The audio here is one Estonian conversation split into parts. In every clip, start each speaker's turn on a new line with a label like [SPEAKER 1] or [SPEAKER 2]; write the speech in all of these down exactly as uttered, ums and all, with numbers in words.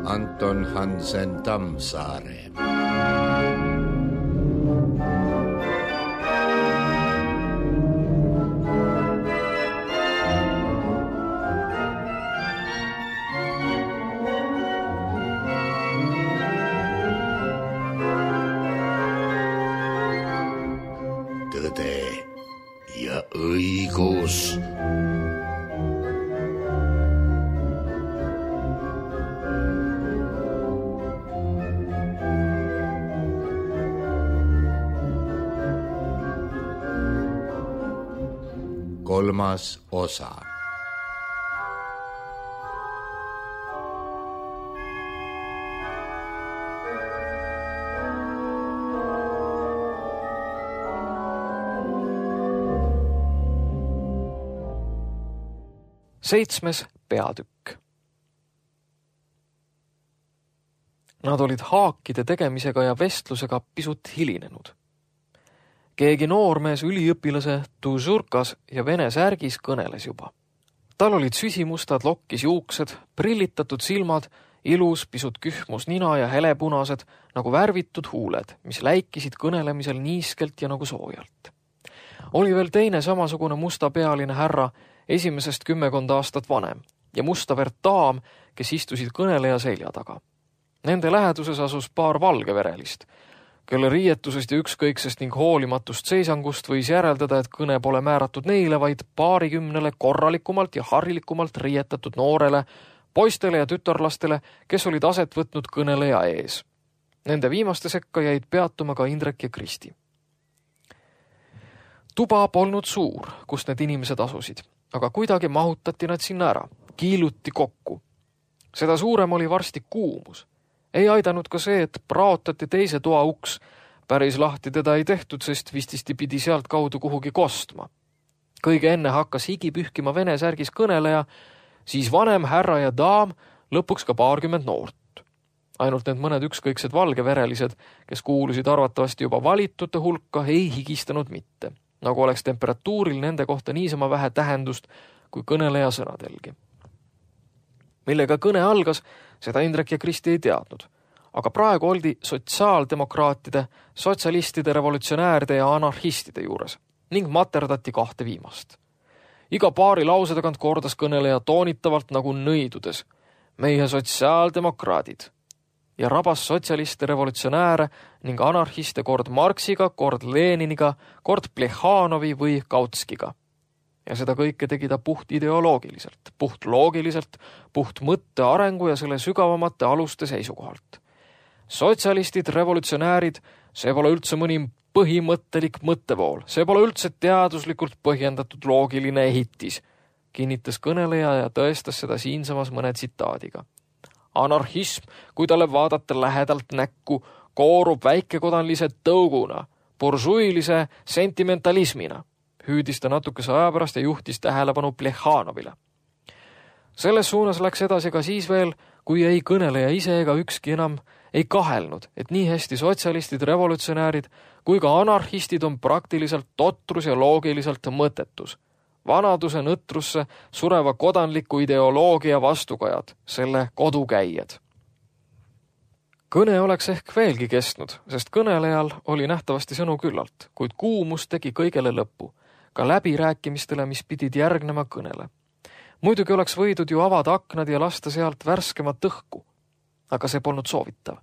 [SPEAKER 1] Anton Hansen Tammsaare. Tõde ja õigus. Kolmas osa.
[SPEAKER 2] Seitsmes peatükk. Nad olid haakide tegemisega ja vestlusega pisut hilinenud. Keegi noormees üliõpilase tužurkas ja vene särgis kõneles juba. Tal olid süsimustad lokkis juuksed, prillitatud silmad, ilus pisut kühmus nina ja helepunased nagu värvitud huuled, mis läikisid kõnelemisel niiskelt ja nagu soojalt. Oli veel teine samasugune mustapealine härra, esimesest kümmekonda aastat vanem ja mustavert daam, kes istusid kõneleja selja taga. Nende läheduses asus paar valgeverelist, kelle riietusest ja ükskõiksest ning hoolimatust seisangust võis järeldada, et kõne pole määratud neile, vaid paarikümnele korralikumalt ja harilikumalt riietatud noorele, poistele ja tütarlastele, kes olid aset võtnud kõneleja ees. Nende viimaste sekka jäid peatuma ka Indrek ja Kristi. Tuba polnud suur, kust need inimesed asusid, aga kuidagi mahutati nad sinna ära, kiiluti kokku. Seda suurem oli varsti kuumus. Ei aidanud ka see, et praotati teise toa uks. Päris lahti teda ei tehtud, sest vististi pidi sealt kaudu kuhugi kostma. Kõige enne hakkas higi pühkima vene särgis kõneleja, siis vanem härra ja daam, lõpuks ka paarkümmend noort. Ainult need mõned ükskõiksed valgeverelised, kes kuulusid arvatavasti juba valitute hulka, ei higistanud mitte, nagu oleks temperatuuril nende kohta niisama vähe tähendust kui kõneleja sõnadelgi. Millega kõne algas, seda Indrek ja Kristi ei teadnud, aga praegu oldi sotsiaaldemokraatide, sotsialistide, revolutsionääride ja anarhistide juures ning materdati kahte viimast. Iga paari lause tagant kordas kõneleja toonitavalt nagu nõidudes, meie sotsiaaldemokraadid, ja rabas sotsialiste, revolutsionääre ning anarhiste kord Marksiga, kord Leniniga, kord Plehhanovi või Kautskiga. Ja seda kõike tegi ta puht ideoloogiliselt, puht loogiliselt, puht mõtte arengu ja selle sügavamate aluste seisukohalt. Sotsialistid, revolutsionäärid, see pole üldse mõni põhimõttelik mõttevool, see pole üldse teaduslikult põhjendatud loogiline ehitis, kinnitas kõneleja ja tõestas seda siinsamas mõne tsitaadiga. Anarhism, kui talle vaadata lähedalt näkku, koorub väikekodanlise tõuguna, buržuilise sentimentalismina. Hüüdis ta natukese aja pärast ja juhtis tähelepanu Plehhanovile. Selles suunas läks edasi ka siis veel, kui ei kõneleja ise ega ükski enam ei kahelnud, et nii hästi sotsialistid, revolutsionäärid kui ka anarhistid on praktiliselt totrus ja loogiliselt mõttetus. Vanaduse nõtrusse sureva kodanliku ideoloogia vastukajad, selle kodukäijad. Kõne oleks ehk veelgi kestnud, sest kõnelejal oli nähtavasti sõnu küllalt, kuid kuumus tegi kõigele lõppu, ka läbirääkimistele, mis pidid järgnema kõnele. Muidugi oleks võidud ju avada aknad ja lasta sealt värskemat õhku, aga see polnud soovitav,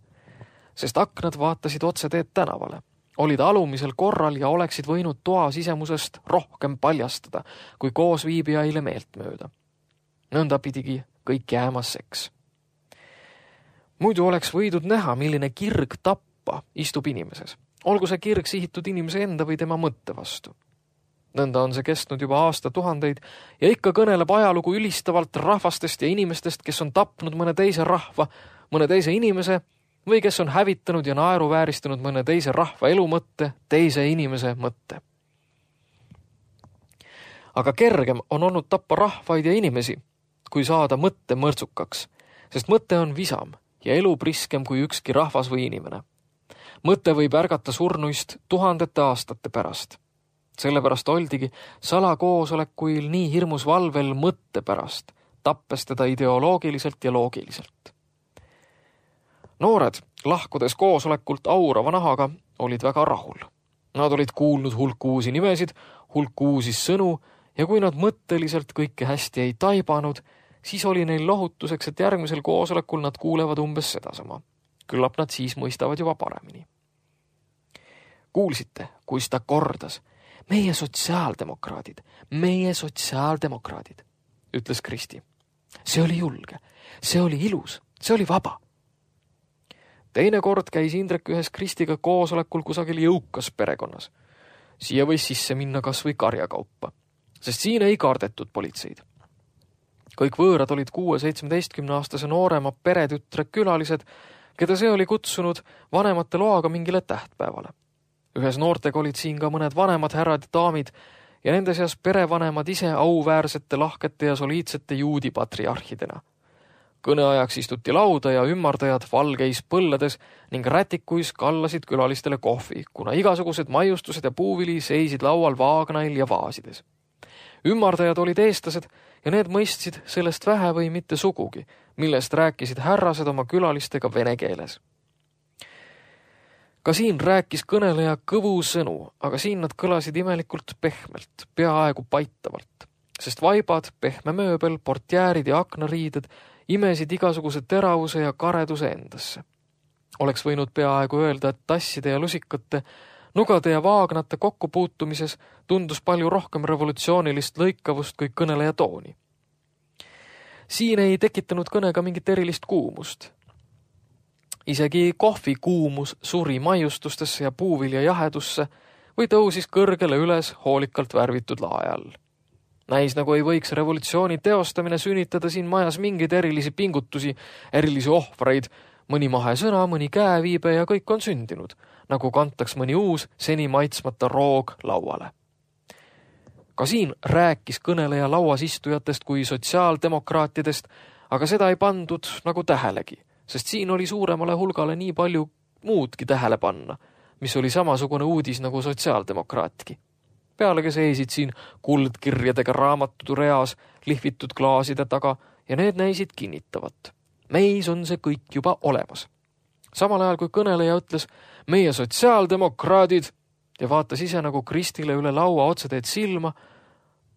[SPEAKER 2] sest aknad vaatasid otse teed tänavale, olid alumisel korral ja oleksid võinud toa sisemusest rohkem paljastada, kui koos viibijaile meelt mööda. Nõnda pidigi kõik jäämas seks. Muidu oleks võidud näha, milline kirg tappa istub inimeses, olgu see kirg sihitud inimese enda või tema mõtte vastu. Nõnda on see kestnud juba aasta tuhandeid ja ikka kõneleb ajalugu ülistavalt rahvastest ja inimestest, kes on tapnud mõne teise rahva, mõne teise inimese või kes on hävitanud ja naeruvääristanud mõne teise rahva elumõtte, teise inimese mõtte. Aga kergem on olnud tappa rahvaid ja inimesi, kui saada mõtte mõrtsukaks, sest mõte on visam ja elu priskem kui ükski rahvas või inimene. Mõte võib ärgata surnuist tuhandete aastate pärast. Sellepärast oldigi salakoosolekuil nii hirmus valvel mõtte pärast, tappes teda ideoloogiliselt ja loogiliselt. Noored, lahkudes koosolekult aurava nahaga, olid väga rahul. Nad olid kuulnud hulk uusi nimesid, hulk uusi sõnu ja kui nad mõtteliselt kõike hästi ei taibanud, siis oli neil lohutuseks, et järgmisel koosolekul nad kuulevad umbes sedasama. Küllap nad siis mõistavad juba paremini. Kuulsite, kui ta kordas, meie sotsiaaldemokraadid, meie sotsiaaldemokraadid, ütles Kristi. See oli julge, see oli ilus, see oli vaba. Teine kord käis Indrek ühes Kristiga koosolekul kusagil jõukas perekonnas. Siia võis sisse minna kas või karjakaupa, sest siin ei kardetud politseid. Kõik võõrad olid kuue-seitsmeteistkümne aastase noorema peretütre külalised, keda see oli kutsunud vanemate loaga mingile tähtpäevale. Ühes noortega olid siin ka mõned vanemad härrad ja daamid ja nende seas perevanemad ise auväärsete, lahkete ja soliidsete juudi patriarhidena. Kõneajaks istuti lauda ja ümmardajad valgeis põllades ning rätikuis kallasid külalistele kohvi, kuna igasugused maiustused ja puuvili seisid laual vaagnail ja vaasides. Ümmardajad olid eestlased ja need mõistsid sellest vähe või mitte sugugi, millest rääkisid härrased oma külalistega vene keeles. Ka siin rääkis kõneleja kõvu sõnu, aga siin nad kõlasid imelikult pehmelt, peaaegu paitavalt, sest vaibad, pehme mööbel, portjäärid ja aknariided imesid igasuguse teravuse ja kareduse endasse. Oleks võinud peaaegu öelda, et tasside ja lusikate, nugade ja vaagnate kokkupuutumises tundus palju rohkem revolutsioonilist lõikavust kui kõneleja tooni. Siin ei tekitanud kõnega mingit erilist kuumust. Isegi kohvi kuumus suri maiustustesse ja puuvilja jahedusse või tõusis kõrgele üles hoolikalt värvitud lae all. Näis nagu ei võiks revolutsiooni teostamine sünnitada siin majas mingeid erilisi pingutusi, erilisi ohvreid, mõni mahe sõna, mõni käeviibe ja kõik on sündinud, nagu kantaks mõni uus, seni maitsmata roog lauale. Ka siin rääkis kõneleja lauas istujatest kui sotsiaaldemokraatidest, aga seda ei pandud nagu tähelegi, sest siin oli suuremale hulgale nii palju muudki tähele panna, mis oli samasugune uudis nagu sotsiaaldemokraatki. Pealegi seisid siin kuldkirjadega raamatud reas lihvitud klaaside taga ja need näisid kinnitavat. Meis on see kõik juba olemas. Samal ajal kui kõneleja ütles meie sotsiaaldemokraadid ja vaatas ise nagu Kristile üle laua otseteed silma,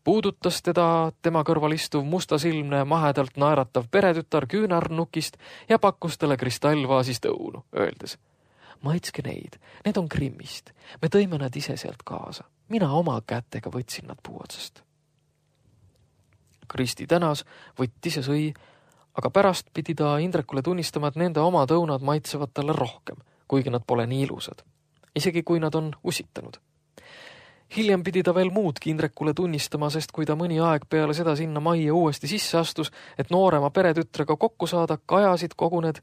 [SPEAKER 2] puudutas teda tema kõrval istuv mustasilmne mahedalt naeratav peretütar küünarnukist ja pakkus talle kristallvaasist õunu, öeldes maitske neid, need on Krimmist, me tõime nad ise sealt kaasa. Mina oma kätega võtsin nad puu otsast. Kristi tänas, võttis ja sõi, aga pärast pidi ta Indrekule tunnistama, et nende oma õunad maitsevad talle rohkem, kuigi nad pole nii ilusad, isegi kui nad on usitanud. Hiljem pidi ta veel muudki Indrekule tunnistama, sest kui ta mõni aeg peale seda sinna majja uuesti sisse astus, et noorema peretütrega kokku saada, kajasid kogu need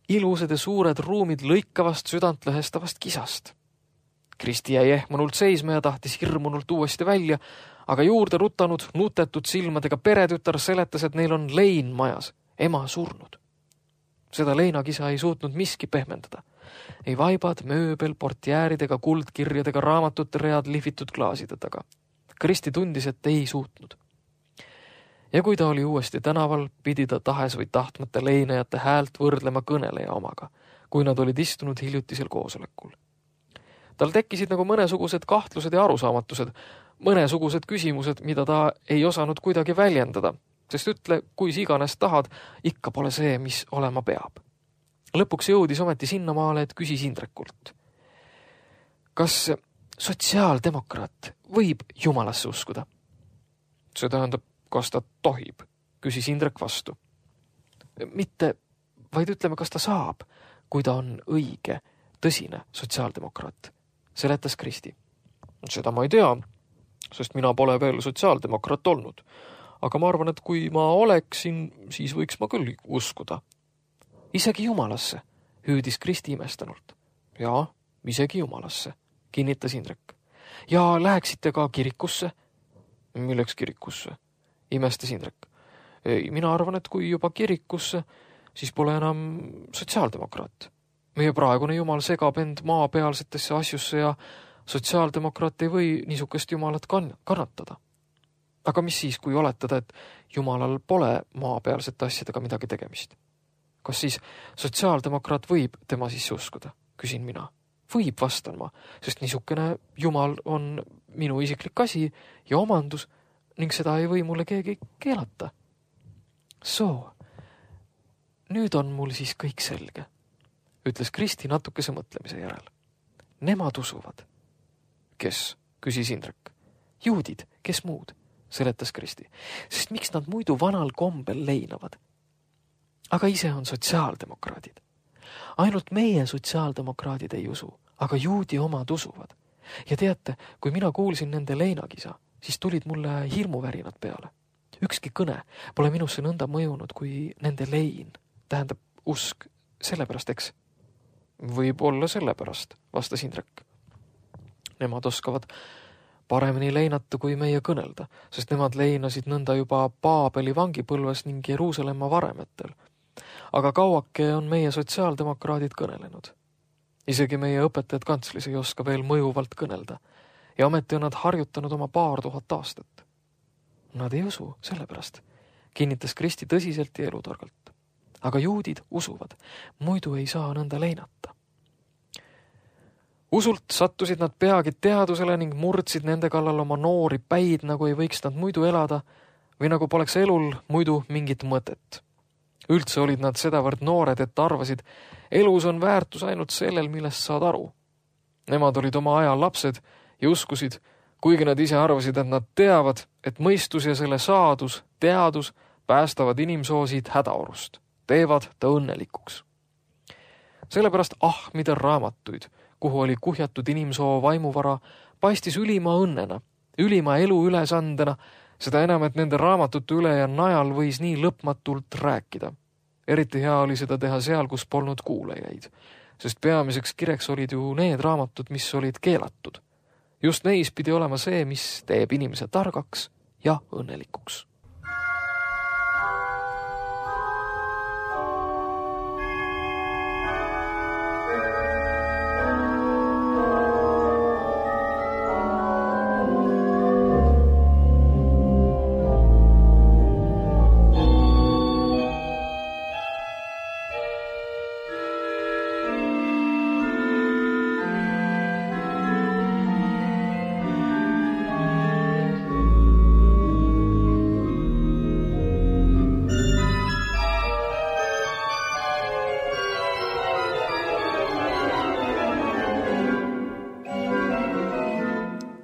[SPEAKER 2] ilusad ja suured ruumid lõikavast südantlõhestavast kisast. Kristi jäi ehmunult seisma ja tahtis hirmunult uuesti välja, aga juurde rutanud nutetud silmadega peretütar seletas, et neil on lein majas, ema surnud. Seda leinakisa ei suutnud miski pehmendada. Ei vaibad, mööbel, portjääridega, kuldkirjadega, raamatute read lihvitud klaaside taga. Kristi tundis, et ei suutnud. Ja kui ta oli uuesti tänaval, pidi ta tahes või tahtmata leinajate häält võrdlema kõneleja omaga, kui nad olid istunud hiljutisel koosolekul. Tal tekkisid nagu mõnesugused kahtlused ja arusaamatused, mõnesugused küsimused, mida ta ei osanud kuidagi väljendada, sest ütle, kui iganes tahad, ikka pole see, mis olema peab. Lõpuks jõudis ometi sinnamaale, et küsis Indrekult. Kas sotsiaaldemokraat võib jumalasse uskuda? See tähendab, kas ta tohib, küsis Indrek vastu. Mitte, vaid ütleme, kas ta saab, kui ta on õige, tõsine sotsiaaldemokraat, seletas Kristi. Seda ma ei tea, sest mina pole veel sotsiaaldemokraat olnud, aga ma arvan, et kui ma oleksin, siis võiks ma küll uskuda. Isegi jumalasse, hüüdis Kristi imestanult. Jaa, isegi jumalasse, kinnitas Indrek. Ja läheksite ka kirikusse? Milleks kirikusse? Imestas Indrek. Ei, mina arvan, et kui juba kirikusse, siis pole enam sotsiaaldemokraat. Meie praegune jumal segab end maapealsetesse asjusse ja sotsiaaldemokraat ei või niisugust jumalat kann- kannatada. Aga mis siis, kui oletada, et jumalal pole maapealsete asjadega midagi tegemist? Kas siis sotsiaaldemokraat võib tema sisse uskuda? Küsin mina. Võib, vastan ma, sest niisugune jumal on minu isiklik asi ja omandus ning seda ei või mulle keegi keelata. Soo, nüüd on mul siis kõik selge, ütles Kristi natukese mõtlemise järel. Nemad usuvad. Kes? Küsis Indrek. Juudid, kes muud? Seletas Kristi. Sest miks nad muidu vanal kombel leinavad? Aga ise on sotsiaaldemokraadid. Ainult meie sotsiaaldemokraadid ei usu, aga juudi omad usuvad. Ja teate, kui mina kuulsin nende leinakisa, siis tulid mulle hirmuvärinad peale. Ükski kõne pole minusse nõnda mõjunud kui nende lein, tähendab usk, sellepärast, eks? Võib olla sellepärast, vastas Indrek. Nemad oskavad paremini leinata kui meie kõnelda, sest nemad leinasid nõnda juba Paabeli vangipõlves ning Jeruusalemma varemetel. Aga kauake on meie sotsiaaldemokraadid kõnelenud. Isegi meie õpetajad kantslis ei oska veel mõjuvalt kõnelda ja ometi on nad harjutanud oma paar tuhat aastat. Nad ei usu, sellepärast, kinnitas Kristi tõsiselt ja elutargalt. Aga juudid usuvad, muidu ei saa nõnda leinata. Usult sattusid nad peagi teadusele ning murdsid nende kallal oma noori päid, nagu ei võiks nad muidu elada või nagu poleks elul muidu mingit mõtet. Üldse olid nad sedavõrd noored, et arvasid, elus on väärtus ainult sellel, millest saad aru. Nemad olid oma aja lapsed ja uskusid, kuigi nad ise arvasid, et nad teavad, et mõistus ja selle saadus, teadus päästavad inimsoosid hädaorust, teevad ta õnnelikuks. Sellepärast ahmida raamatuid, kuhu oli kuhjatud inimsoo vaimuvara, paistis ülima õnnena, ülima elu ülesandena, seda enam, et nende raamatute üle ja najal võis nii lõpmatult rääkida. Eriti hea oli seda teha seal, kus polnud kuulajaid, sest peamiseks kireks olid ju need raamatud, mis olid keelatud. Just neis pidi olema see, mis teeb inimese targaks ja õnnelikuks.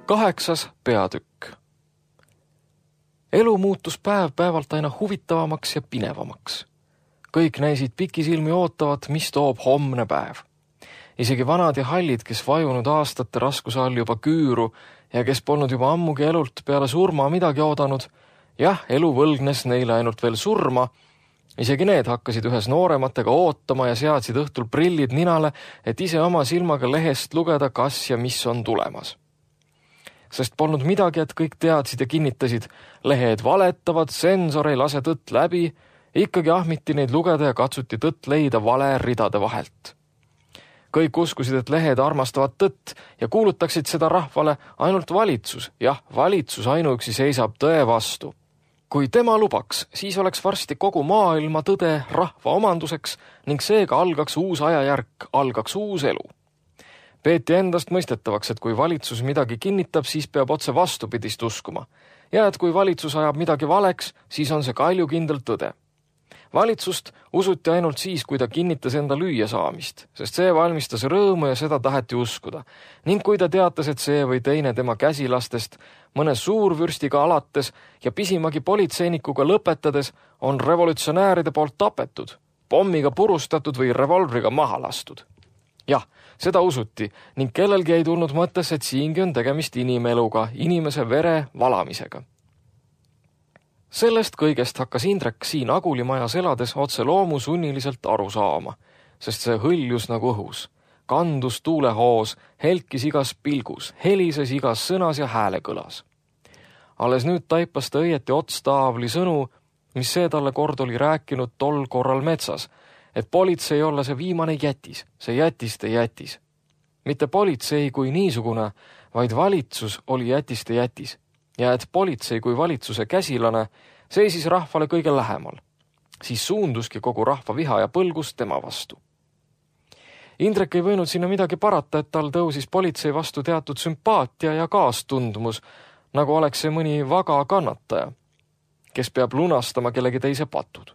[SPEAKER 2] Kaheksas peatükk. Elu muutus päev päevalt aina huvitavamaks ja pinevamaks. Kõik näisid pikisilmi ootavat, mis toob homne päev. Isegi vanad ja hallid, kes vajunud aastate raskuse all juba küüru ja kes polnud juba ammugi elult peale surma midagi oodanud, jah, elu võlgnes neile ainult veel surma, isegi need hakkasid ühes noorematega ootama ja seadsid õhtul prillid ninale, et ise oma silmaga lehest lugeda, kas ja mis on tulemas. Sest polnud midagi, et kõik teadsid ja kinnitasid, lehed valetavad, sensor ei lase tõtt läbi, ikkagi ahmiti neid lugeda ja katsuti tõtt leida vale ridade vahelt. Kõik uskusid, et lehed armastavad tõtt ja kuulutaksid seda rahvale ainult valitsus, jah, valitsus ainuüksi seisab tõe vastu. Kui tema lubaks, siis oleks varsti kogu maailma tõde rahva omanduseks ning seega algaks uus ajajärk, algaks uus elu. Peeti endast mõistetavaks, et kui valitsus midagi kinnitab, siis peab otse vastupidist uskuma. Ja et kui valitsus ajab midagi valeks, siis on see kaljukindel tõde. Valitsust usuti ainult siis, kui ta kinnitas enda lüüa saamist, sest see valmistas rõõmu ja seda taheti uskuda. Ning kui ta teatas, et see või teine tema käsilastest, mõne suurvürstiga alates ja pisimagi politseinikuga lõpetades on revolutsionääride poolt tapetud, pommiga purustatud või revolvriga maha lastud. Jah, seda usuti ning kellelgi ei tulnud mõttes, et siingi on tegemist inimeluga, inimese vere valamisega. Sellest kõigest hakkas Indrek siin Agulimajas elades otse loomu sunniliselt aru saama, sest see hõljus nagu õhus, kandus tuulehoos, helkis igas pilgus, helises igas sõnas ja hääle kõlas. Alles nüüd taipas ta õieti otstaavli sõnu, mis see talle kord oli rääkinud tol korral metsas, et politsei olla see viimane jätis, see jätiste jätis. Mitte politsei kui niisugune, vaid valitsus oli jätiste jätis ja et politsei kui valitsuse käsilane seisis rahvale kõige lähemal. Siis suunduski kogu rahva viha ja põlgus tema vastu. Indrek ei võinud sinna midagi parata, et tal tõusis politsei vastu teatud sümpaatia ja kaastundmus, nagu oleks see mõni vaga kannataja, kes peab lunastama kellegi teise patud.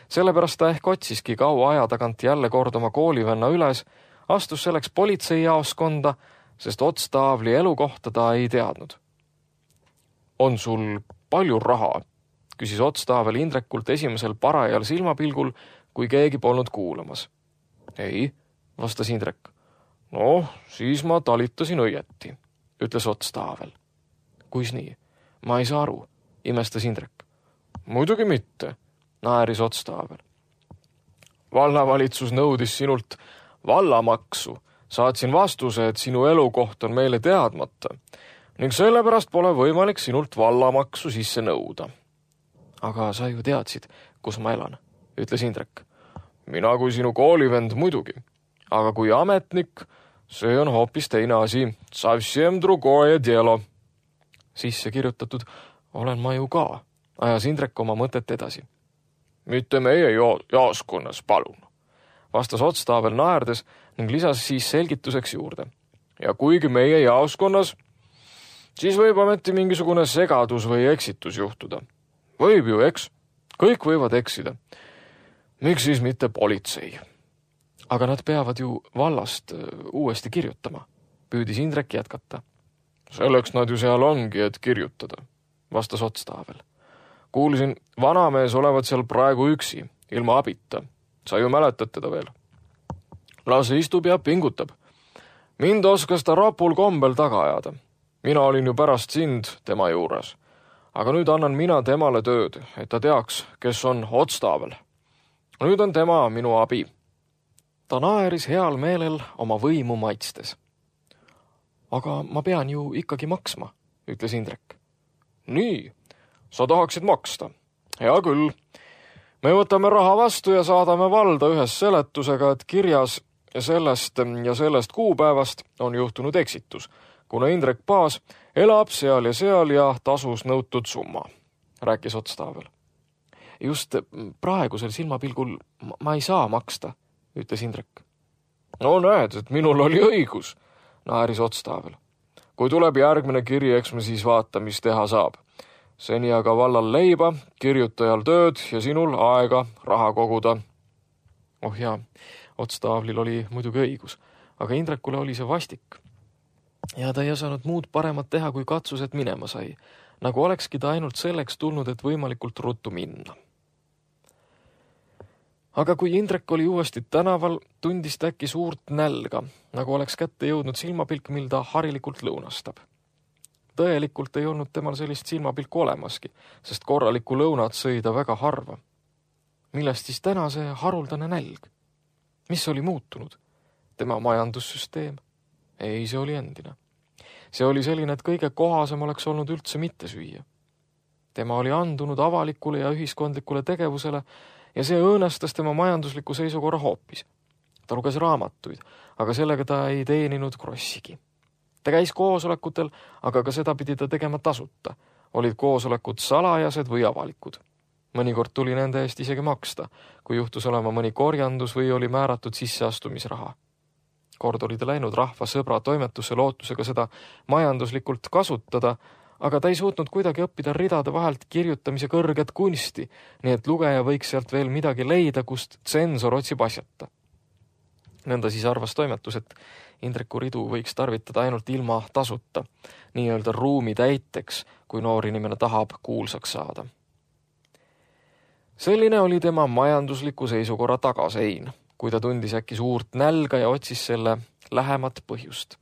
[SPEAKER 2] Sellepärast ta ehk otsiski kaua aja tagant jälle kord oma koolivenna üles, astus selleks politseijaoskonda, sest Otstaavli elukohta ta ei teadnud. On sul palju raha? Küsis Otstaavel Indrekult esimesel parajal silmapilgul, kui keegi polnud kuulamas. Ei, vastas Indrek. No, siis ma talitasin õieti, ütles Otstaavel. Kuis nii? Ma ei saa aru, imestas Indrek. Muidugi mitte, naeris Otstaavel. Vallavalitsus nõudis sinult vallamaksu. Saatsin vastuse, et sinu elukoht on meile teadmata ning sellepärast pole võimalik sinult vallamaksu sisse nõuda. Aga sa ju teadsid, kus ma elan, ütles Indrek. Mina kui sinu koolivend muidugi, aga kui ametnik, see on hoopis teine asi. Savsiem drugoje dielo. Sisse kirjutatud, olen ma ju ka, ajas Indrek oma mõtet edasi. Mitte meie jaoskonnas, palun, vastas Otstaavel naerdes ning lisas siis selgituseks juurde. Ja kuigi meie jaoskonnas, siis võib ameti mingisugune segadus või eksitus juhtuda. Võib ju, eks? Kõik võivad eksida. Miks siis mitte politsei? Aga nad peavad ju vallast uuesti kirjutama, püüdis Indrek jätkata. Selleks nad ju seal ongi, et kirjutada, vastas Otstaavel. Kuulsin, vanamees olevat seal praegu üksi, ilma abita. Sa ju mäletad teda veel. Lase istub ja pingutab. Mind oskas ta rapul kombel taga ajada. Mina olin ju pärast sind tema juures. Aga nüüd annan mina temale tööd, et ta teaks, kes on Otstaavel. Nüüd on tema minu abi. Ta naeris heal meelel oma võimu maitstes. Aga ma pean ju ikkagi maksma, ütles Indrek. Nii, sa tahaksid maksta. Hea küll. Me võtame raha vastu ja saadame valda ühes seletusega, et kirjas sellest ja sellest kuupäevast on juhtunud eksitus, kuna Indrek Paas elab seal ja seal ja tasus nõutud summa, rääkis Otstaavel. Just praegusel silmapilgul ma ei saa maksta, ütles Indrek. No näed, et minul oli õigus, naeris Otstaavel. Kui tuleb järgmine kiri, eks me siis vaata, mis teha saab. Seni aga vallal leiba, kirjutajal tööd ja sinul aega raha koguda. Oh jaa, Otstaavlil oli muidugi õigus, aga Indrekule oli see vastik. Ja ta ei osanud muud paremat teha, kui katsused minema sai, nagu olekski ta ainult selleks tulnud, et võimalikult ruttu minna. Aga kui Indrek oli uuesti tänaval, tundis ta äkki suurt nälga, nagu oleks kätte jõudnud silmapilk, mil ta harilikult lõunastab. Tõelikult ei olnud temal sellist silmapilku olemaski, sest korralikku lõunat sõi ta väga harva. Millest siis täna see haruldane nälg? Mis oli muutunud? Tema majandussüsteem? Ei, see oli endine. See oli selline, et kõige kohasem oleks olnud üldse mitte süüa. Tema oli andunud avalikule ja ühiskondlikule tegevusele ja see õõnestas tema majandusliku seisukorra hoopis. Ta luges raamatuid, aga sellega ta ei teeninud krossigi. Ta käis koosolekutel, aga ka seda pidi ta tegema tasuta. Olid koosolekud salajased või avalikud. Mõnikord tuli nende eest isegi maksta, kui juhtus olema mõni korjandus või oli määratud sisseastumisraha. Kord oli ta läinud rahva sõbra toimetusse lootusega seda majanduslikult kasutada, aga ta ei suutnud kuidagi õppida ridade vahelt kirjutamise kõrget kunsti, nii et lugeja võiks sealt veel midagi leida, kust tsensor otsib asjata. Nõnda siis arvas toimetus, et Indreku ridu võiks tarvitada ainult ilma tasuta, nii-öelda ruumi täiteks, kui noor inimene tahab kuulsaks saada. Selline oli tema majandusliku seisukorra tagasein, kui ta tundis äkki suurt nälga ja otsis selle lähemat põhjust.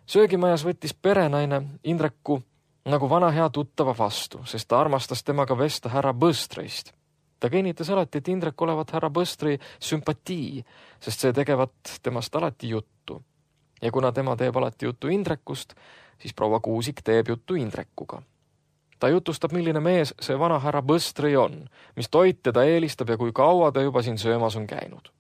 [SPEAKER 2] Söögimajas võttis perenaine Indreku nagu vana hea tuttava vastu, sest ta armastas temaga vesta härra Bëstreist. Ta kinnitas alati, et Indrek olevat härra Bëstri sümpatii, sest see tegevat temast alati juttu. Ja kuna tema teeb alati juttu Indrekust, siis proua Kuusik teeb juttu Indrekuga. Ta jutustab, milline mees see vana härra Bõstri on, mis toit teda eelistab ja kui kaua ta juba siin söömas on käinud.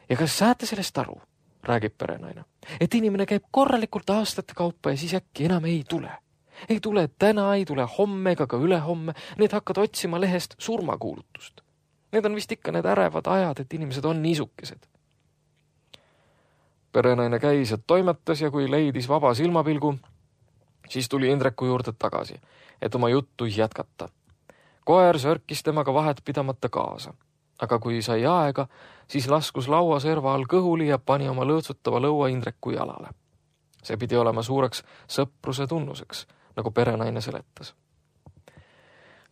[SPEAKER 2] Ja kas saate sellest aru, räägib perenaine, et inimene käib korralikult aastate kaupa ja siis äkki enam ei tule. Ei tule täna, ei tule homme ega ka ülehomme, need hakkad otsima lehest surmakuulutust. Need on vist ikka need ärevad ajad, et inimesed on niisukesed. Perenaine käis ja toimetas ja kui leidis vaba silmapilgu, siis tuli Indreku juurde tagasi, et oma juttu jätkata. Koer sörkis temaga vahet pidamata kaasa, aga kui sai aega, siis laskus laua serva all kõhuli ja pani oma lõõtsutava lõua Indreku jalale. See pidi olema suureks sõpruse tunnuseks, nagu perenaine seletas.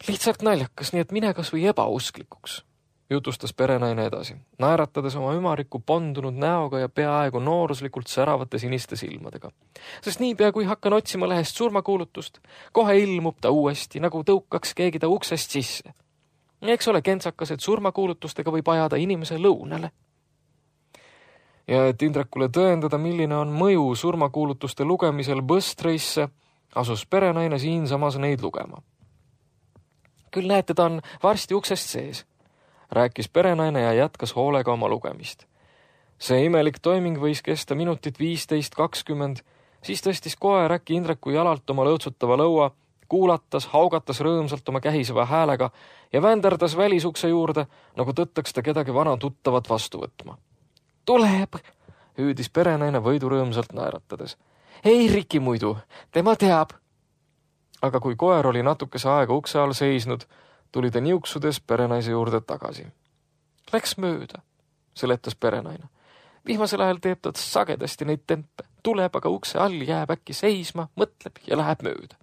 [SPEAKER 2] Lihtsalt naljakas, nii et mine kas või ebausklikuks, jutustas perenaine edasi, naeratades oma ümariku pondunud näoga ja peaaegu nooruslikult säravate siniste silmadega. Sest niipea, kui hakkan otsima lehest surmakuulutust, kohe ilmub ta uuesti, nagu tõukaks keegi ta uksest sisse. Eks ole kentsakas, et surmakuulutustega võib ajada inimese lõunale. Ja et Indrekule tõendada, milline on mõju surmakuulutuste lugemisel Bõstreisse, asus perenaine siinsamas neid lugema. Küll näete, ta on varsti uksest sees, rääkis perenaine ja jätkas hoolega oma lugemist. See imelik toiming võis kesta minutit viisteist kakskümmend, siis tõstis koer äkki Indreku jalalt oma lõõtsutava lõua, kuulatas, haugatas rõõmsalt oma kähiseva häälega ja vänderdas välisukse juurde, nagu tõttaks ta kedagi vana tuttavat vastu võtma. Tuleb, hüüdis perenaine võidurõõmsalt naeratades. Ei Riki muidu, tema teab. Aga kui koer oli natukese aega ukse all seisnud, tuli ta niuksudes perenaise juurde tagasi. Läks mööda, seletas perenaine. Vihmasel ajal teeb ta sagedasti neid tempe. Tuleb aga ukse all, jääb äkki seisma, mõtleb ja läheb mööda.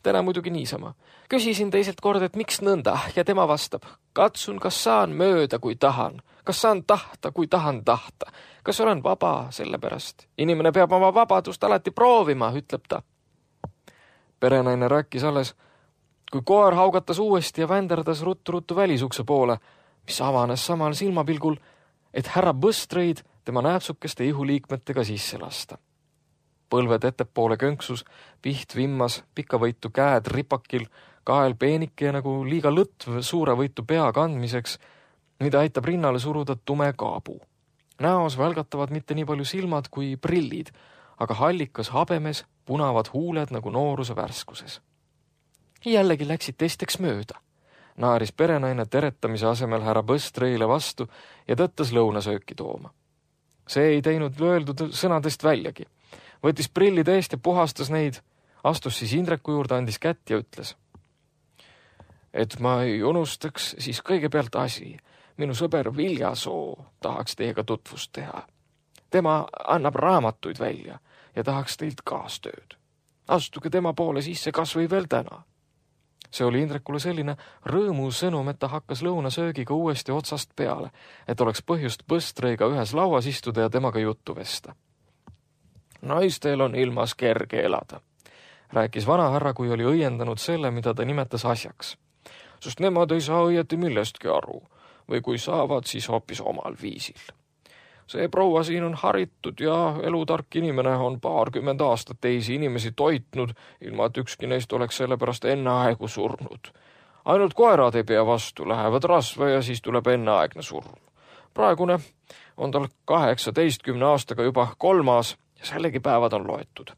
[SPEAKER 2] Täna muidugi niisama. Küsisin teiselt kord, et miks nõnda ja tema vastab. Katsun, kas saan mööda, kui tahan. Kas saan tahta, kui tahan tahta. Kas olen vaba sellepärast? Inimene peab oma vabadust alati proovima, ütleb ta. Perenaine rääkis alles, kui koer haugatas uuesti ja vänderdas ruttu-ruttu välisukse poole, mis avanes samal silmapilgul, et härra Bõstreid tema nääpsukeste ihuliikmetega sisse lasta. Põlved ettepoole könksus, piht vimmas, pikavõitu käed ripakil, kael peenike ja nagu liiga lõtv suure võitu pea kandmiseks, mida aitab rinnale suruda tume kaabu. Näos välgatavad mitte nii palju silmad kui prillid, aga hallikas habemes punavad huuled nagu nooruse värskuses. Jällegi läksid teisteks mööda. Naaris perenaine teretamise asemel härra Bõstreile vastu ja tõttas lõunasööki tooma. See ei teinud lööldud sõnadest väljagi. Võttis prillid eest ja puhastas neid, astus siis Indreku juurde, andis kätt ja ütles. Et ma ei unustaks, siis kõigepealt asi. Minu sõber Viljasoo tahaks teiega tutvust teha. Tema annab raamatuid välja ja tahaks teilt kaastööd. Astuge tema poole sisse kas või veel täna. See oli Indrekule selline rõõmu sõnum, et ta hakkas lõunasöögiga uuesti otsast peale, et oleks põhjust Bõstreiga ühes lauas istuda ja temaga juttu vesta. Naistel on ilmas kerge elada, rääkis vanahärra, kui oli õiendanud selle, mida ta nimetas asjaks. Sest nemad ei saa õieti millestki aru, või kui saavad, siis hoopis omal viisil. See proua siin on haritud ja elutark inimene on paarkümmend aastat teisi inimesi toitnud, ilma et ükski neist oleks sellepärast enneaegu surnud. Ainult koerad ei pea vastu, lähevad rasva ja siis tuleb enneaegne surm. Praegune on tal kaheksateistkümne aastaga juba kolmas ja sellegi päevad on loetud.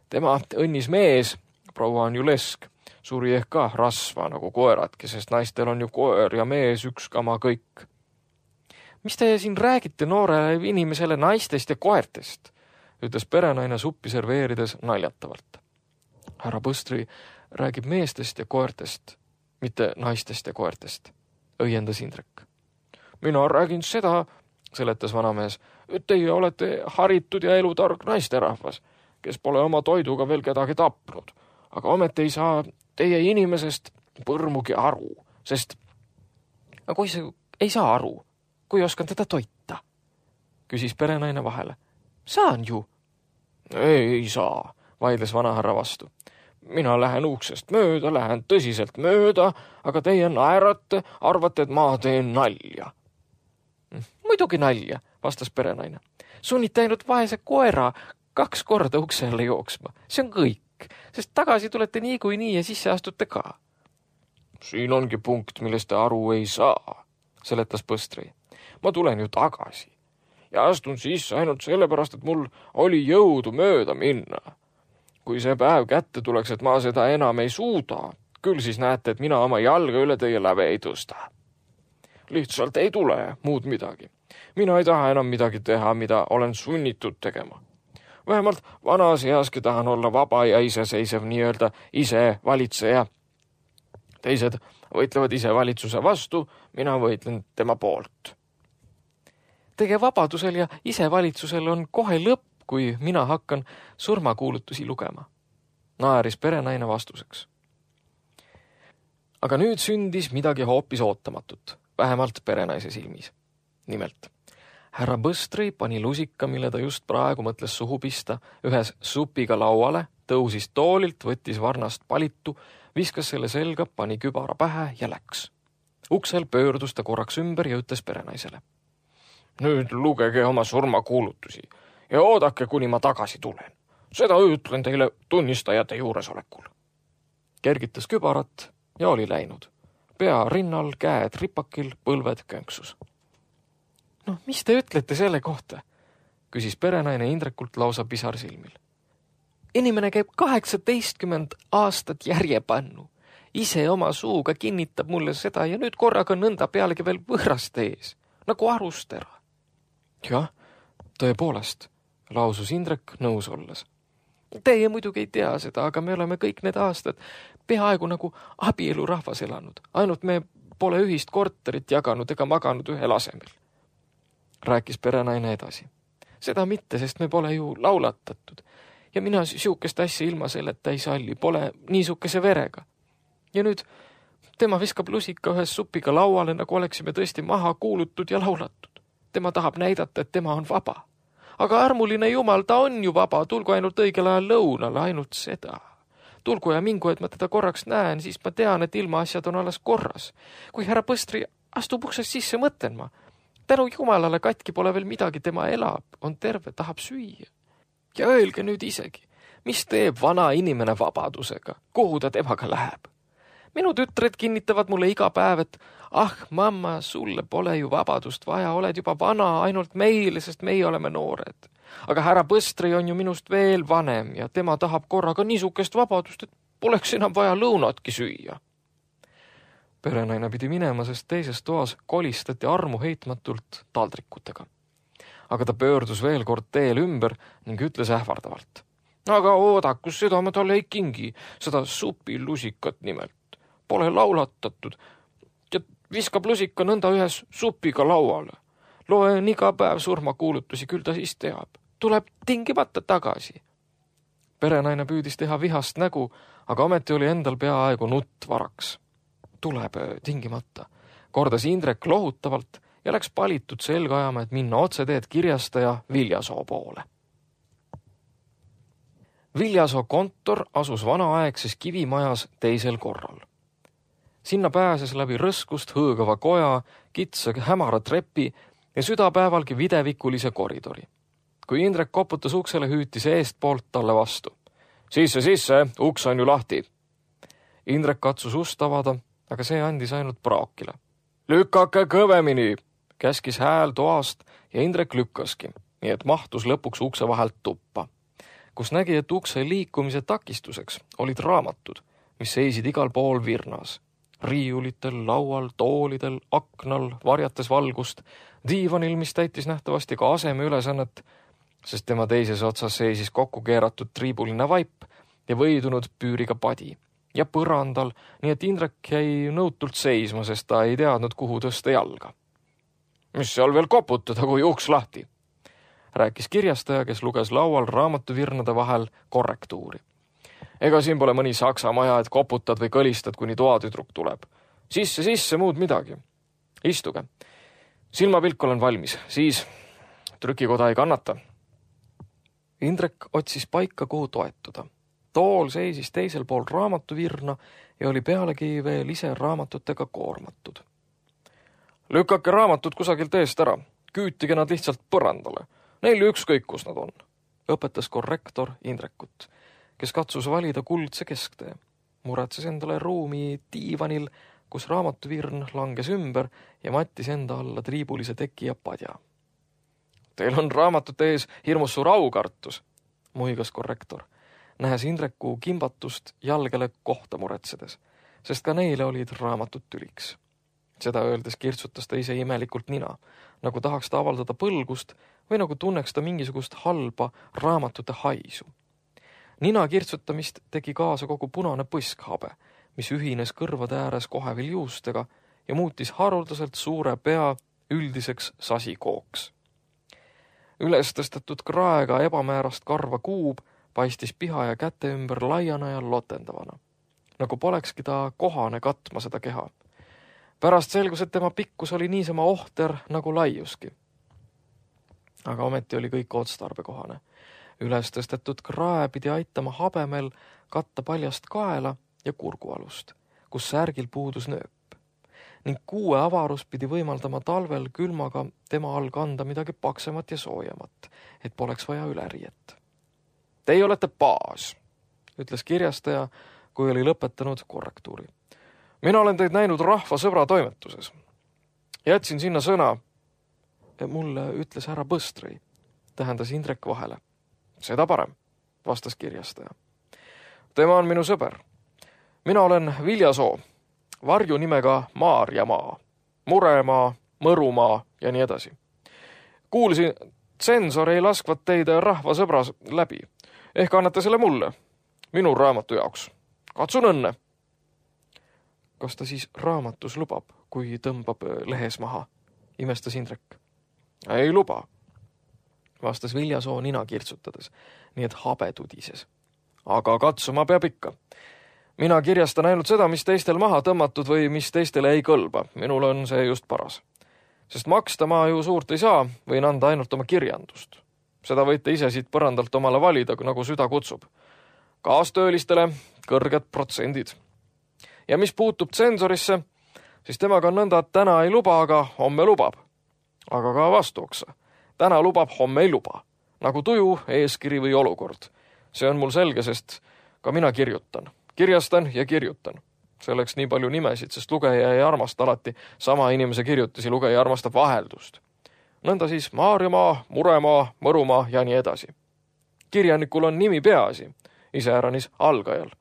[SPEAKER 2] Tema õnnis mees, proua on ju lesk, suri ehk ka rasva nagu koeradki, sest naistel on ju koer ja mees üks kama kõik. Mis te siin räägite noorele inimesele naistest ja koertest, ütles perenaine suppi serveerides naljatavalt. Härra Bõstri räägib meestest ja koertest, mitte naistest ja koertest, õiendas Indrek. Mina räägin seda, seletas vanamees, et teie olete haritud ja elutark naisterahvas, kes pole oma toiduga veel kedagi tapnud, aga ometi ei saa teie inimesest põrmugi aru, sest aga kui see ei saa aru, kui oskan teda toita, küsis perenaine vahele. Saan ju. Ei, ei saa, vaidles vanahärra vastu. Mina lähen uksest mööda, lähen tõsiselt mööda, aga teie naerate, arvate, et ma teen nalja. Muidugi nalja, vastas perenaine. Sunnite ainult vaese koera kaks korda ukse alla jooksma. See on kõik. kõik, sest tagasi tulete niikuinii ja sisse astute ka. Siin ongi punkt, millest te aru ei saa, seletas Põstri. Ma tulen ju tagasi ja astun sisse ainult sellepärast, et mul oli jõudu mööda minna. Kui see päev kätte tuleks, et ma seda enam ei suuda, küll siis näete, et mina oma jalga üle teie läve ei tõsta. Lihtsalt ei tule muud midagi. Mina ei taha enam midagi teha, mida olen sunnitud tegema. Vähemalt vanas easki tahan olla vaba ja iseseisev nii-öelda ise valitseja. Teised võitlevad ise valitsuse vastu, mina võitlen tema poolt. Teie vabadusel ja isevalitsusel on kohe lõpp, kui mina hakkan surmakuulutusi lugema. Naeris perenaine vastuseks. Aga nüüd sündis midagi hoopis ootamatut, vähemalt perenaise silmis. Nimelt, härra Põstri pani lusika, mille ta just praegu mõtles suhu pista, ühes supiga lauale, tõusis toolilt, võttis varnast palitu, viskas selle selga, pani kübara pähe ja läks. Uksel pöördus ta korraks ümber ja ütles perenaisele. Nüüd lugege oma surmakuulutusi ja oodake, kuni ma tagasi tulen. Seda ütlen teile tunnistajate juuresolekul. Kergitas kübarat ja oli läinud. Pea rinnal, käed ripakil, põlved könksus. No, mis te ütlete selle kohta? Küsis perenaine Indrekult lausa pisar silmil. Inimene käib kaheksateistkümmend aastat järjepannu. Ise oma suuga kinnitab mulle seda ja nüüd korraga nõnda pealegi veel võõraste ees, nagu arustera. Jah, tõepoolest, lausus Indrek nõus olles. Teie muidugi ei tea seda, aga me oleme kõik need aastad peaaegu nagu abielurahvas elanud. Ainult me pole ühist korterit jaganud ega maganud ühel asemel. Rääkis perenaine edasi. Seda mitte, sest me pole ju laulatatud. Ja mina siukest asja ilma selleta ei salli, pole niisukese verega. Ja nüüd tema viskab lusika ühes supiga lauale, nagu oleksime tõesti maha kuulutud ja laulatud. Tema tahab näidata, et tema on vaba. Aga armuline jumal, ta on ju vaba, tulgu ainult õigel ajal lõunale, ainult seda. Tulgu ja mingu, et ma teda korraks näen, siis ma tean, et ilmaasjad on alles korras. Kui härra Põstri astub uksest sisse, mõtlen ma. Tänu jumalale katki pole veel midagi, tema elab, on terve, tahab süüa. Ja öelge nüüd isegi, mis teeb vana inimene vabadusega, kuhu ta temaga läheb? Minu tütred kinnitavad mulle iga päev, et ah, mamma, sulle pole ju vabadust vaja, oled juba vana ainult meile, sest meie oleme noored. Aga härra Põstri on ju minust veel vanem ja tema tahab korraga niisukest vabadust, et poleks enam vaja lõunatki süüa. Perenaine pidi minema, sest teises toas kolistati armu heitmatult taldrikutega. Aga ta pöördus veel kord teel ümber ning ütles ähvardavalt. Aga oodakus, seda ma talle ei kingi, seda supilusikat nimelt. Pole laulatatud ja viskab lusika nõnda ühes supiga lauale. Loen iga päev surmakuulutusi, küll ta siis teab. Tuleb tingimata tagasi. Perenaine püüdis teha vihast nägu, aga ometi oli endal peaaegu nutt varaks. Tuleb tingimata, kordas Indrek lohutavalt ja läks palitud selga ajama, et minna otseteed kirjastaja Viljasoo poole. Viljasoo kontor asus vanaaegses kivimajas teisel korral. Sinna pääses läbi rõskust hõõgava koja, kitsa hämara trepi ja südapäevalgi videvikulise koridori. Kui Indrek koputas uksele, hüütis eest poolt talle vastu. Sisse, sisse, uks on ju lahti. Indrek katsus ust avada, aga see andis ainult praokile. Lükake kõvemini, käskis hääl toast ja Indrek lükkaski, nii et mahtus lõpuks ukse vahelt tuppa, kus nägi, et ukse liikumise takistuseks olid raamatud, mis seisid igal pool virnas. Riiulitel, laual, toolidel, aknal, varjates valgust, diivanil, mis täitis nähtavasti ka aseme ülesannet, sest tema teises otsas seisis kokku keeratud triibuline vaip ja võidunud püüriga padi. Ja põrandal, nii et Indrek jäi nõutult seisma, sest ta ei teadnud, kuhu tõsta jalga. Mis seal veel koputada, kui uks lahti? Rääkis kirjastaja, kes luges laual raamatuvirnade vahel korrektuuri. Ega siin pole mõni saksa maja, et koputad või kõlistad, kuni toatüdruk tuleb. Sisse, sisse, muud midagi. Istuge. Silmapilk olen valmis, siis trükikoda ei kannata. Indrek otsis paika, kuhu toetuda. Tool seisis teisel pool raamatuvirna ja oli pealegi veel ise raamatutega koormatud. Lükake raamatud kusagilt eest ära. Küütige nad lihtsalt põrandale. Neil ükskõik, kus nad on. Õpetas korrektor Indrekut. kes katsus valida kuldse kesktee. Muretses endale ruumi diivanil, kus raamatuvirn langes ümber ja mattis enda alla triibulise teki ja padja. Teil on raamatute ees hirmus suur aukartus, muigas korrektor, nähes Indreku kimbatust jalgele kohta muretsedes, sest ka neile olid raamatud tüliks. Seda öeldes kirtsutas ta ise imelikult nina, nagu tahaks ta avaldada põlgust või nagu tunneks ta mingisugust halba raamatute haisu. Nina kirtsutamist tegi kaasa kogu punane põskhabe, mis ühines kõrvade ääres kohevil juustega ja muutis haruldaselt suure pea üldiseks sasikooks. Üles tõstetud kraega ebamäärast karva kuub paistis piha ja käte ümber laiana ja lotendavana, nagu polekski ta kohane katma seda keha. Pärast selgus, et tema pikkus oli niisama ohter nagu laiuski. Aga ometi oli kõik otstarbekohane. Üles tõstetud krae pidi aitama habemel katta paljast kaela ja kurgualust, kus särgil puudus nööp. Ning kuue avarus pidi võimaldama talvel külmaga tema all kanda midagi paksemat ja soojamat, et poleks vaja üleriiet. Teie olete baas, ütles kirjastaja, kui oli lõpetanud korrektuuri. Mina olen teid näinud rahva sõbra toimetuses. Jätsin sinna sõna. Mulle ütles härra Põstrõi, tähendas Indrek vahele. Seda parem, vastas kirjastaja. Tema on minu sõber. Mina olen Viljasoo, varju nimega Maarjamaa, Muremaa, Mõrumaa ja nii edasi. Kuulsin, tsensor ei laskvat teid rahva sõbra läbi. Ehk annate selle mulle, minu raamatu jaoks. Katsun õnne. Kas ta siis raamatus lubab, kui tõmbab lehes maha? Imestas Indrek. Ei luba, vastas Viljasoo nina kirtsutades, nii et habe tudises. Aga katsuma peab ikka. Mina kirjastan ainult seda, mis teistel maha tõmmatud või mis teistele ei kõlba. Minul on see just paras. Sest maksta ma ju suurt ei saa, võin anda ainult oma kirjandust. Seda võite ise siit põrandalt omale valida, nagu süda kutsub. Kaastöölistele kõrged protsendid. Ja mis puutub tsensorisse, siis temaga on nõnda, et täna ei luba, aga homme lubab. Aga ka vastuoksa. Täna lubab, homme ei luba. Nagu tuju, eeskiri või olukord. See on mul selge, sest ka mina kirjutan. Kirjastan ja kirjutan. Selleks nii palju nimesid, sest lugeja ei armasta alati sama inimese kirjutisi, lugeja armastab vaheldust. Nõnda siis Maarjamaa, Muremaa, Mõrumaa ja nii edasi. Kirjanikul on nimi peaasi, iseäranis algajal.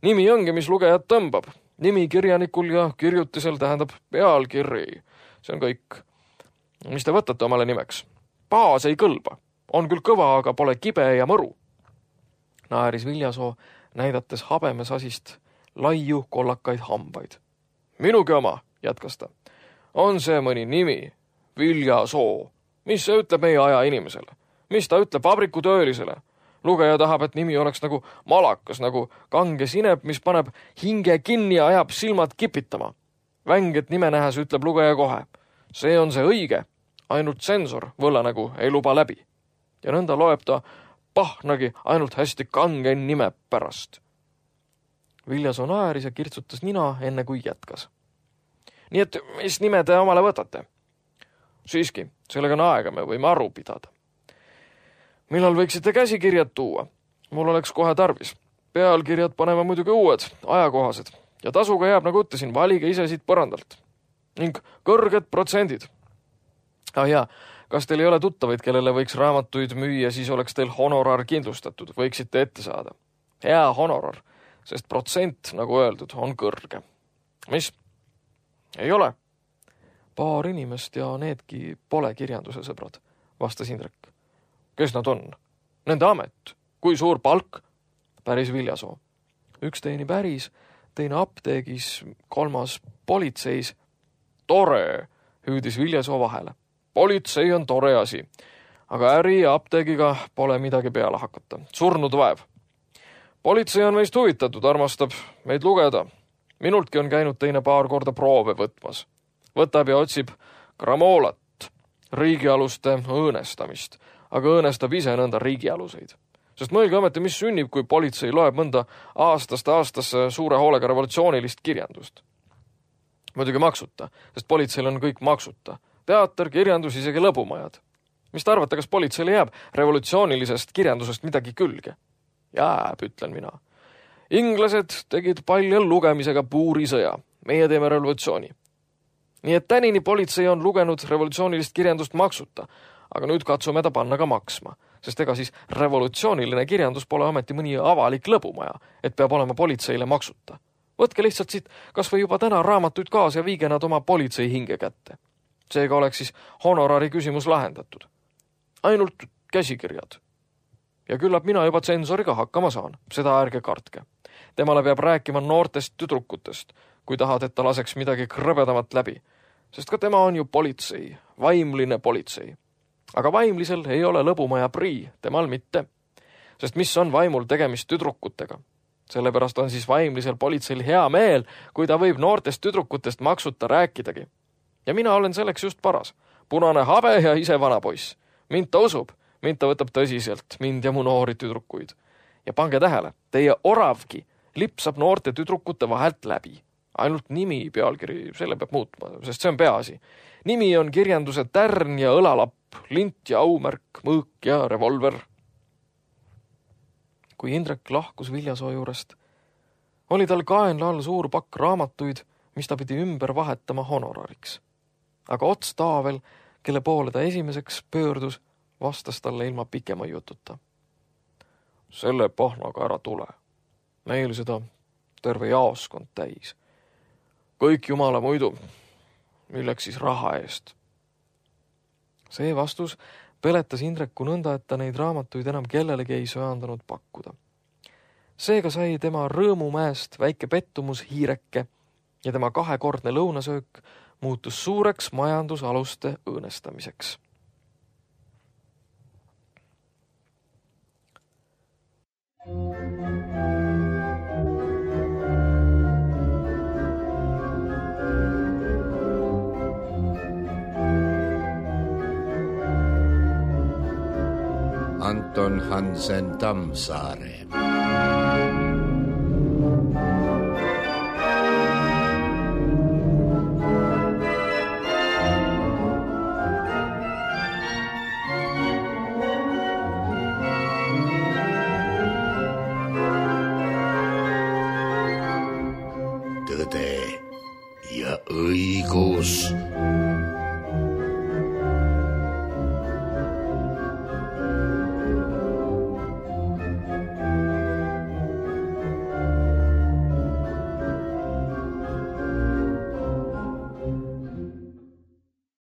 [SPEAKER 2] Nimi ongi, mis lugejad tõmbab. Nimi kirjanikul ja kirjutisel tähendab pealkiri. See on kõik. Mis te võtate omale nimeks? Baas ei kõlba. On küll kõva, aga pole kibe ja mõru. Naeris Viljasoo, näidates habemesasist laiu kollakaid hambaid. Minugi oma, jätkas ta. On see mõni nimi? Viljasoo. Mis see ütleb meie aja inimesele? Mis ta ütleb vabrikutöölisele? Lugeja tahab, et nimi oleks nagu malakas, nagu kange sinep, mis paneb hinge kinni ja ajab silmad kipitama. Vänget nime nähes ütleb lugeja kohe. See on see õige. Ainult tsensor võllanägu ei luba läbi. Ja nõnda loeb ta pahnagi ainult hästi kange nime pärast. Viljasoo naeris ja kirtsutas nina enne kui jätkas. Nii et mis nime te omale võtate? Siiski, sellega on aega, me võime aru pidada. Millal võiksite käsikirjad tuua? Mul oleks kohe tarvis. Pealkirjad paneme muidugi uued, ajakohased. Ja tasuga jääb, nagu ütlesin, valige ise siit põrandalt. Ning kõrged protsendid. Ah jaa, kas teil ei ole tuttavaid, kellele võiks raamatuid müüa, siis oleks teil honorar kindlustatud, võiksite ette saada. Hea honorar, sest protsent, nagu öeldud, on kõrge. Mis? Ei ole. Paar inimest ja needki pole kirjanduse sõbrad, vastas Indrek. Kes nad on? Nende amet. Kui suur palk? Päris Viljasoo. Üks teeni päris, teine apteegis, kolmas politseis. Tore, hüüdis Viljasoo vahele. Politsei on tore asi, aga äri ja apteegiga pole midagi peale hakata. Surnud vaev. Politsei on meist huvitatud, armastab meid lugeda. Minultki on käinud teine paar korda proove võtmas. Võtab ja otsib gramoolat, riigialuste õõnestamist, aga õõnestab ise nõnda riigialuseid. Sest mõelge ometi, mis sünnib, kui politsei loeb mõnda aastast aastasse suure hoolega revolutsioonilist kirjandust. Muidugi maksuta, sest politseil on kõik maksuta. Teater, kirjandus, isegi lõbumajad. Mis te arvate, kas politseile jääb revolutsioonilisest kirjandusest midagi külge? Jääb, ütlen mina. Inglased tegid palju lugemisega puurisõja. Meie teeme revolutsiooni. Nii et tänini politsei on lugenud revolutsioonilist kirjandust maksuta, aga nüüd katsume ta panna ka maksma, sest ega siis revolutsiooniline kirjandus pole ameti mõni avalik lõbumaja, et peab olema politseile maksuta. Võtke lihtsalt siit kas või juba täna raamatuid kaasa ja viige nad oma politsei hinge kätte. Seega oleks siis honorari küsimus lahendatud. Ainult käsikirjad. Ja küllap mina juba tsensoriga hakkama saan, seda ärge kartke. Temale peab rääkima noortest tüdrukutest, kui tahad, et ta laseks midagi krõbedamat läbi. Sest ka tema on ju politsei, vaimline politsei. Aga vaimlisel ei ole lõbumaja prii, temal mitte. Sest mis on vaimul tegemist tüdrukutega? Sellepärast on siis vaimlisel politseil hea meel, kui ta võib noortest tüdrukutest maksuta rääkidagi. Ja mina olen selleks just paras. Punane habe ja ise vana poiss. Mind ta usub, mind ta võtab tõsiselt, mind ja mu noori tüdrukuid. Ja pange tähele, teie oravgi lipsab noorte tüdrukute vahelt läbi. Ainult nimi pealkiri, selle peab muutma, sest see on peaasi. Nimi on kirjanduse tärn ja õlalapp, lint ja aumärk, mõõk ja revolver. Kui Indrek lahkus Viljasoo juurest, oli tal kaenla all suur pakk raamatuid, mis ta pidi ümber vahetama honorariks. Aga Ots Taavel, kelle poole ta esimeseks pöördus, vastas talle ilma pikema jututa. Selle pahnaga ära tule. Meil seda terve jaoskond täis. Kõik jumala muidu, milleks siis raha eest. See vastus peletas Indreku nõnda, et ta neid raamatuid enam kellelegi ei söandanud pakkuda. Seega sai tema rõõmumäest väike pettumus hiireke ja tema kahekordne lõunasöök muutus suureks majandusaluste õõnestamiseks.
[SPEAKER 1] Anton Hansen Tammsaare. Tõde ja õigus.